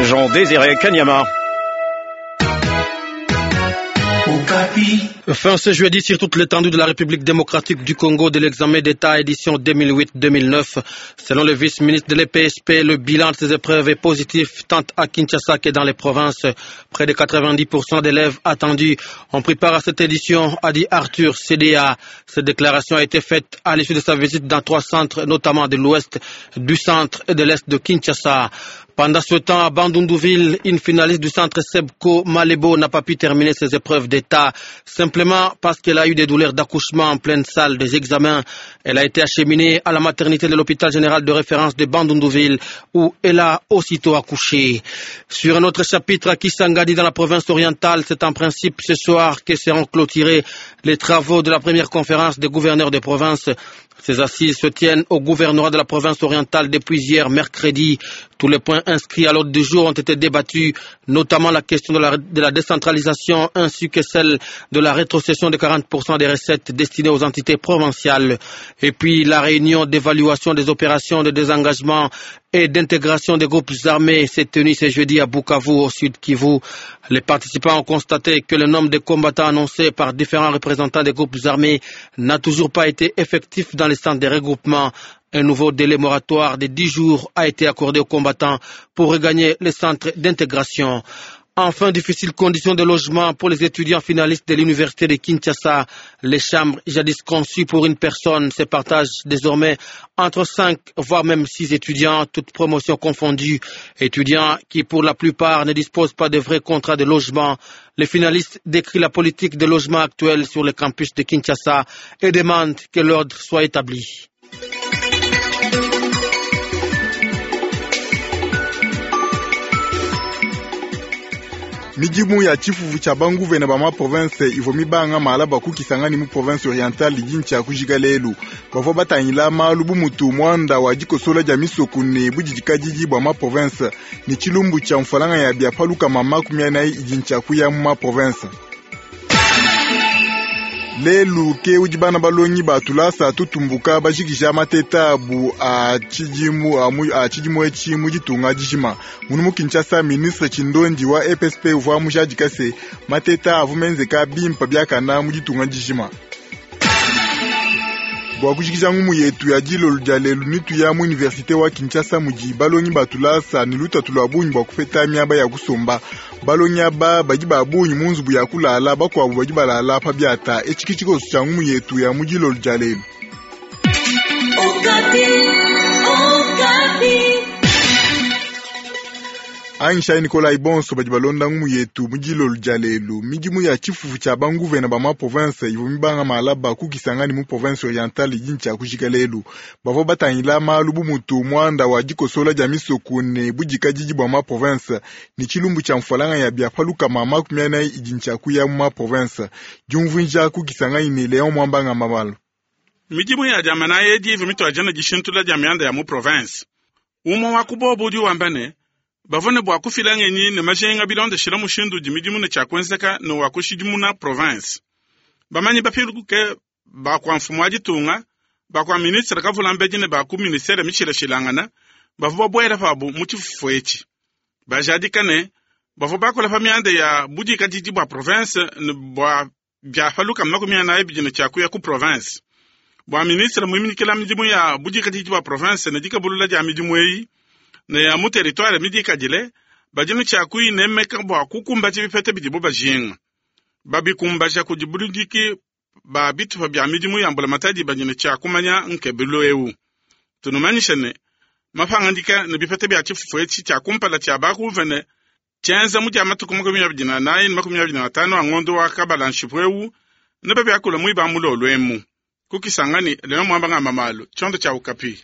Jean Désiré Kanyama. Fin ce jeudi sur toute l'étendue de la République démocratique du Congo de l'examen d'État édition 2008-2009. Selon le vice-ministre de l'EPSP, le bilan de ces épreuves est positif tant à Kinshasa que dans les provinces. Près de 90% d'élèves attendus ont pris part à cette édition, a dit Arthur CDA. Cette déclaration a été faite à l'issue de sa visite dans trois centres, notamment de l'ouest, du centre et de l'est de Kinshasa. Pendant ce temps, à Bandundouville, une finaliste du centre Sebco Malebo n'a pas pu terminer ses épreuves d'État, simplement parce qu'elle a eu des douleurs d'accouchement en pleine salle des examens. Elle a été acheminée à la maternité de l'hôpital général de référence de Bandundouville, où elle a aussitôt accouché. Sur un autre chapitre, à Kisangani, dans la province orientale, c'est en principe ce soir que seront clôturés les travaux de la première conférence des gouverneurs de province. Ces assises se tiennent au gouvernorat de la province orientale depuis hier mercredi. Tous les points inscrits à l'ordre du jour ont été débattus, notamment la question de la décentralisation ainsi que celle de la rétrocession de 40% des recettes destinées aux entités provinciales. Et puis la réunion d'évaluation des opérations de désengagement et d'intégration des groupes armés s'est tenue ce jeudi à Bukavu, au sud Kivu. Les participants ont constaté que le nombre de combattants annoncés par différents représentants des groupes armés n'a toujours pas été effectif dans les centres de regroupement. Un nouveau délai moratoire de 10 jours a été accordé aux combattants pour regagner les centres d'intégration. Enfin, difficiles conditions de logement pour les étudiants finalistes de l'université de Kinshasa. Les chambres jadis conçues pour une personne se partagent désormais entre 5, voire même 6 étudiants, toutes promotions confondues. Étudiants qui, pour la plupart, ne disposent pas de vrais contrats de logement. Les finalistes décrivent la politique de logement actuelle sur le campus de Kinshasa et demandent que l'ordre soit établi. Midimu ya tshifufu tshia banguvene ba ma province ivua mibanga malaba ku Kisangani mu province orientale didi kujika lelu. Bavua batangila malu bu mutu muanda wa dikosola dia misoko ne budidikadidi bua ma province ne tshilumbu tshia mfalanga ya bia paluka mama 40 idi kuya mu ma province. Lelu ke udi bana balongi ba tulasa tutumbuka bajikija mateta abu a tshidimu a tshidimu etshi mu ditunga dijima. Munu mu Kinshasa, ministre Tshindondi wa EPSP uvua mujadika se mateta avua menzeka bimpa biakana mu ditunga dijima. Bua kujikija ngumu yetu ya dilolo dia lelu nitu ya mu universite wa Kinshasa mudi balongi ba tulasa ne lutatu lua bungi bua kupeta miaba ya kusomba. Balongi aba badi ba bungi mu nzubu ya kulala, bakuabu badi balala pa biata. Etshi ke tshikoso tshia ngumu yetu ya mu dilolo dia lelu. Anyishayi Nikolai bonso badi balonda ngumu yetu mu dilolo dia lelu. Midimu ya tshifufu tshia banguvene ba ma province ivua mibanga malaba ku Kisangani mu province orientale idi kujika lelu. Bavua batangila malu bu mutu muanda wa dikosola dia misoko ne budikadidi bua ma province ne tshilumbu tshia mfalanga ya bia paluka mama 40 idi kuya mu ma province. Diumvuija ku Kisangani ne Leon Mwambanga Mamalo. Midimu ya diamana edi ivua mituadija dishintula dia mianda ya mu province. Umue wa ku bobu udi wamba ne bavua ne bua kufila ngenyi ne majinga bilondeshile mushindu udi midimu ne tshiakuenzeka ne wa kushidimuna province. Bamanyi bapiluke ba kua mfumu wa ditunga, ba kua ministre kavula mbedi ne ba ku ministere mishilashilangana bavua babuela pabu mu tshifufu etshi. Bajadika ne bavua bakula pa mianda ya budikadidi bua province ne bua bia paluka 42 bidi ne tshiakuya ku province. Bua ministre muiminikila midimu ya budikadidi bua province ne dikabulula dia midimu eyi ne ya mu territoire midikadile badi ne tshiakuyinemeka bua kukumbaja bipeta bidibo bajinga. Babikumbaja kudi buludiki ba bitupa bia midimu ya mbulamatadi badi ne tshiakumanya nkebelu eu. Tunumanyisha ne mapangadika ne bipeta bia tshifufu etshi tshia kumpala tshia bakuvene tshienza mu dia matuku 24 ne 25 a ngondo wa kabala nshipu eu ne babiakula muiba mulolo emu. Ku Kisangani, Leon Mwambanga Mamalo, tshiondo tshia Okapi.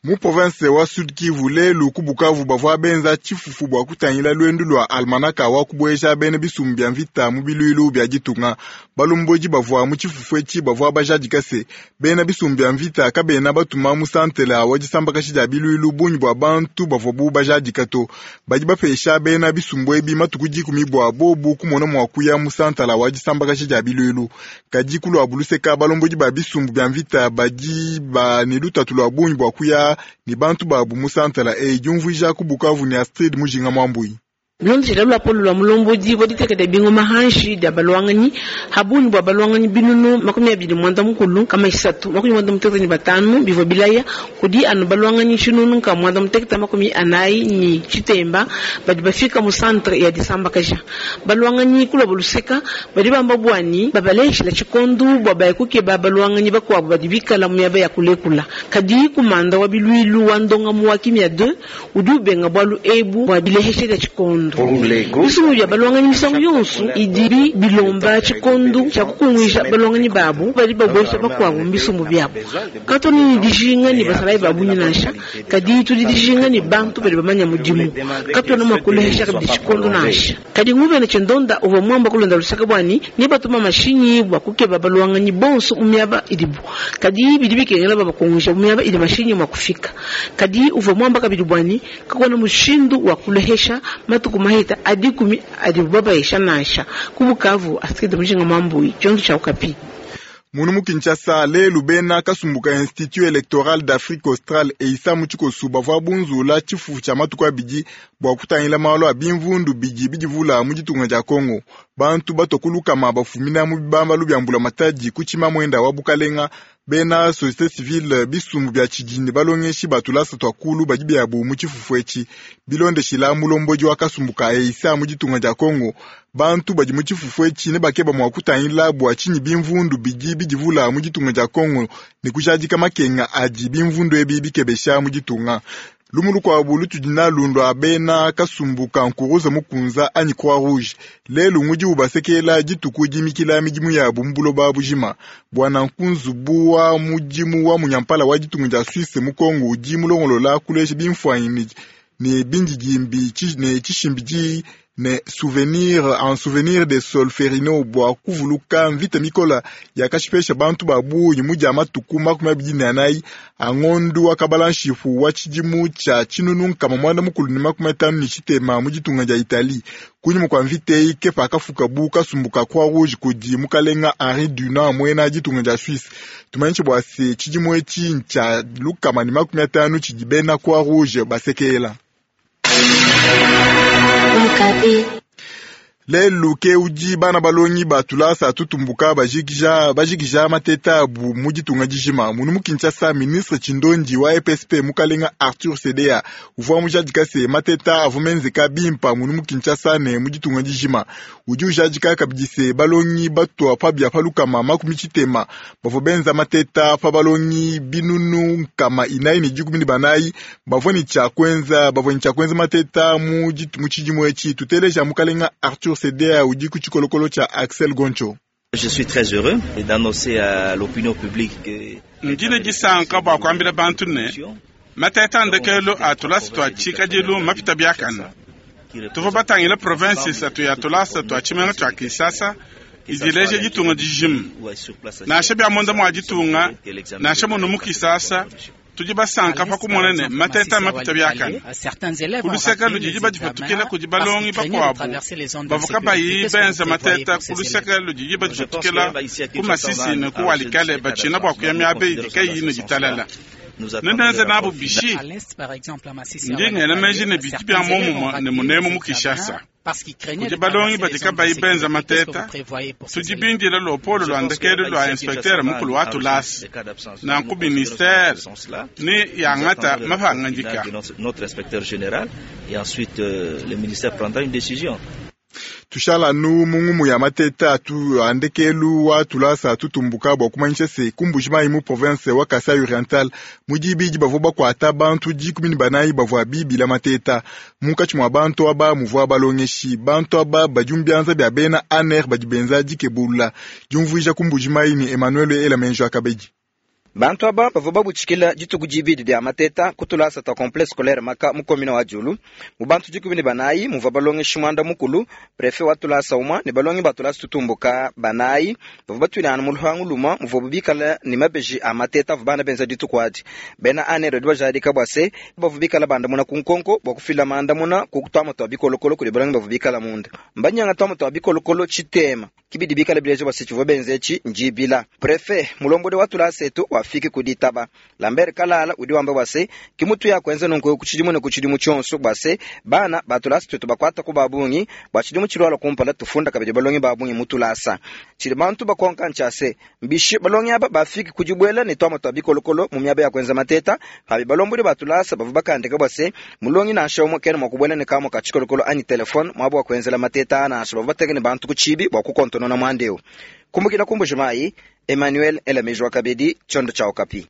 Mu province wa Sud Kivu lelu ku Bukavu bavua benza tshifufu bua kutangila luendu lua almanaka wa kubueja bena bisumbu bia mvita mu biluilu bia ditunga. Balomboji bavua mu tshifufu etshi bavua bajadika se bena bisumbu bia mvita kabena batuma mu santela wa disambakashi dia biluilu bungi bua bantu bavua bu bajadika to. Badi bapesha bena bisumbu ebi matuku 10 bua bobu kumona mua kuya mu santala wa disambakashi dia biluilu. Kadi ku lua buluseka balomboji ba bisumbu bia mvita badi ba ne lutatu lua bungi bua kuya kusomba ne bantu babu mu santala eyi. Diumvuija ku Bukavu ne Astrid Mujinga Mwambui. Bilondeshela luapolo lua mulombodi wa diteka dia bingoma hanshi dia balwanganyi habungi bua balwanganyi binunu 233 395 bivua bilaya kudi anu balwanganyi 844 badi bafika mu centre ya disambakaja balwanganyi kuloba luseka badi bamba bwani babaleshela tshikondu bua baya kukeba balwanganyi bakuabu badi bikala mu miaba ya kulekula. Kadi kumanda wa bilwilu wa ndongamu wa kimia 2 udi ubenga bwalu ebu bua bileheshe dia tshikondo. Bisumbu bya balwanganyi misangu yonso idi bilomba tshikondu tshia kukunguija balwanganyi babu badi babwesha bakuabu mu bisumbu byabo. Katona ne dijinga ne basalayi ba bungi nansha, kadi tudi dijinga ne bantu badi bamanya mudimu. Katona mua kulehesha kabidi tshikondo nansha. Kadi nguvene tshindonda uvua muamba kulonda lusaka bwani ne batuma mashinyi bua kukeba balwanganyi bonso mu miaba idibu. Kadi bidi bikengela babakunguija mu miaba idi mashinyi mua kufika. Kadi uvua muamba kabidi bwani kakuena mushindu wa kulehesha matuku mahita adikumi adibu babayisha nansha. Ku Bukavu, Astrid Mujinga Mwambui, tshiondo tshia Okapi. Munu mu Kinshasa lelu bena kasumbu ka Institut Electoral d'Afrique Australe EISA mu tshikosu bavua bunzula tshifufu tshia matuku abidi bua kutangila malu a bimvundu bidi bidivula mu ditunga dia Congo. Bantu batua ku lukama bafumina mu bibambalu bia mbulamatadi ku tshimamwenda wa bukalenga, bena société civile, bisumbu bia tshidini, balongeshi ba tulasa tua kulu badi biabu mu tshifufu etshi. Bilondeshila mulombodi wa kasumbu ka EISA mu ditunga dia Congo, bantu badi mu tshifufu etshi ne bakeba mua kutangila bua tshinyi bimvundu bidi bidivula mu ditunga dia Congo ne kujadika makenga adi bimvundu ebi bikebesha mu ditunga. Lumu lukuabu lutudi nalu ndua bena kasumbu ka Nkuruza Mukunza anyi Croix Rouge. Lelu ngudi ubasekela dituku dimikila midimu yabu mu buloba bujima. Bwana nkunzubu wa mudimu wa munyampala wa ditunga dia Suisse mu Congo udi mulongolola kulesha bimfuanyi ne bindidimbi ne tshishimbidi ne souvenir en souvenir de Solferino bua kuvuluka mvita mikola yakashipesha bantu ba bungi mu dia matuku 24 a ngondu wa kabala nshipu wa tshidimu tshia 1956 mu ditunga dia Italie. Kunyima kua mvita eyi ke pakafuka bu kasumbu ka Croix Rouge kudi mukalenga Henri Dunant muena ditunga dia Suisse. Tumanyishe bua se tshidimu etshi ntshia 150 tshidi bena Croix Rouge basekela. Lelu ke udi bana balongi ba tulasa tutumbuka bajikija bajikija mateta abu mu ditunga dijima. Munu mu Kinshasa, ministre Tshindondi wa EPSP mukalenga Arthur Sedea uvua mujadika se mateta avua menzeka bimpa munu mu Kinshasa ne mu ditunga dijima. Udi ujadika kabidi se balongi batua pa bia pa 60 bavua benza mateta pa balongi 414 bavua ne tshia kuenza bavua ne tshia kuenza mateta mu tshidimu etshi. Tuteleja mukalenga Arthur Sedea udi ku tshikolokolo tshia Axel Goncho. Je suis très heureux d'annoncer à l'opinion publique que Ndine disanka bua kuambila bantu ne mateta ndekelu a tulasa tua tshikadilu mapita biakana. Tuvua batangila province isatu ya tulasa tua tshimenga tua Kinshasa idileja ditunga dijima. Nansha bia munda mua ditunga, nansha munu mu Kinshasa, tudi basanka pa kumona ne mateta mapita biakana. Kuluseka ludidi badipatukila kudi balongi bakuabu bavua kabayi benza mateta. Kuluseka ludidi badipatukila ku Masisi ne ku Walikale batshina bua kuya miaba idi kayiyi ne ditalala. Nenenze nabo bishi ndi ngela meji ne bidi bia momumue ne munemu mu Kinshasa. Kudi balongi badi kabayi benza mateta, tudi bindila lopolo lua ndekelu lua inspecteur mukulu wa tulasa nanku ministère ni yangata mapangadika. Notre inspecteur général et ensuite le ministère prendra une décision. Tushala nu mungumu ya mateta atu andekelu wa tulasa tutumbuka bua kumanyisha se ku Mbujimayi mu province wa Kasai Oriental mu dibidi bavua bakuata bantu 14 bavua bibila mateta. Munkatshi mua bantu aba muvua balongeshi. Bantu aba badi mu bianza bia bena ANR badi benza dikebulula. Diumvuija ku Mbujimayi ni Emmanuel Elamenjo Akabedi. Bantu aba bavua babutshikila dituku dibidi dia mateta ku tulasa tua complexe scolaire Maka mu commune wa Diulu. Mu bantu 14 muvua balongeshi 9, préfet wa tulasa umue ne balongi ba tulasa tutumbuka banayi bavua batuilangana mu luhangu lumue muvuabu bikala ne mabeji a mateta avua bana benza dituku adi. Bena ANR badi bajadika bua se bavua bikala bandamuna ku nkonko bua kufila mandamuna ku tuama tua bikolokolo kudi balongi bavua bikala munda. Mbanyanga tuama tua bikolokolo tshitema kibidi bikala bileja bua se tshivua benza etshi ndibila. Préfet mulombodi wa tulasa etu. bafike ku ditaba. Lambert Kalala udi wamba bua se, ki mutuya kuenza nunku ku tshidimu ne ku tshidimu tshionso bua se, bana ba tulasa tuetu bakuata ku ba bungi bua tshidimu tshilualua kumpala tufunda kabidi balongi ba bungi mu tulasa. Tshidi bantu bakonka ntshia se, mbishi balongi aba bafike ku dibuela ne tuamua tua bikolokolo mu miaba ya kuenza mateta, pabi balombodi ba tulasa bavua bakandika bua se, mulongi nansha umue kena mua kubuela ne kamua ka tshikolokolo anyi telefone muaba wa kuenzela mateta nansha. Bavua bateke ne bantu ku tshibi bua kukontonona muanda eu. Kumbukila ku Mbuji-Mayi, Emmanuel Elameji wa kabidi, tshiondo tshia Okapi.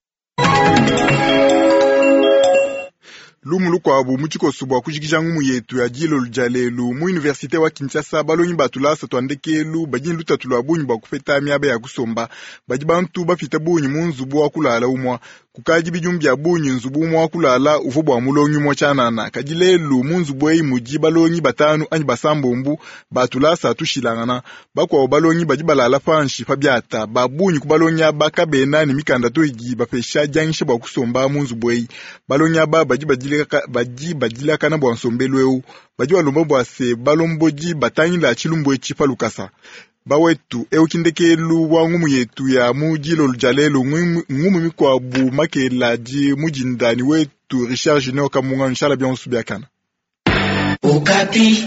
Lumu lukuabu mu tshikoso bua kujikija ngumu yetu ya dilolo dia lelu mu universite wa Kinshasa, balongi ba tulasa tua ndekelu badi ne lutatu lua bungi bua kupeta miaba ya kusomba. Badi bantu bapita bungi mu nzubu wa kulala umua. Kukadi bidimu bia bungi nzubu umua wa kulala uvua bua mulongi umua tshianana, kadi lelu mu nzubu eyi mudi balongi batanu anyi basambombu ba tulasa tushilangana. Bakuabu balongi badi balala panshi pa biata. Ba bungi ku balongi aba kabena ne mikanda to idi ibapesha dianyisha bua kusomba mu nzubu eyi. Balongi aba badi badi badilakana bua nsombelu eu. Badi balomba bua se balombodi batangila tshilumbu etshi pa lukasa. Bawetu, eu ki ndekelu wa ngumu yetu ya mu dilolo dia lelu. Ngumu mikuabu makela di mu dinda ne wetu Richard Junior Kamunga. Nshala bionso biakana. Okapi.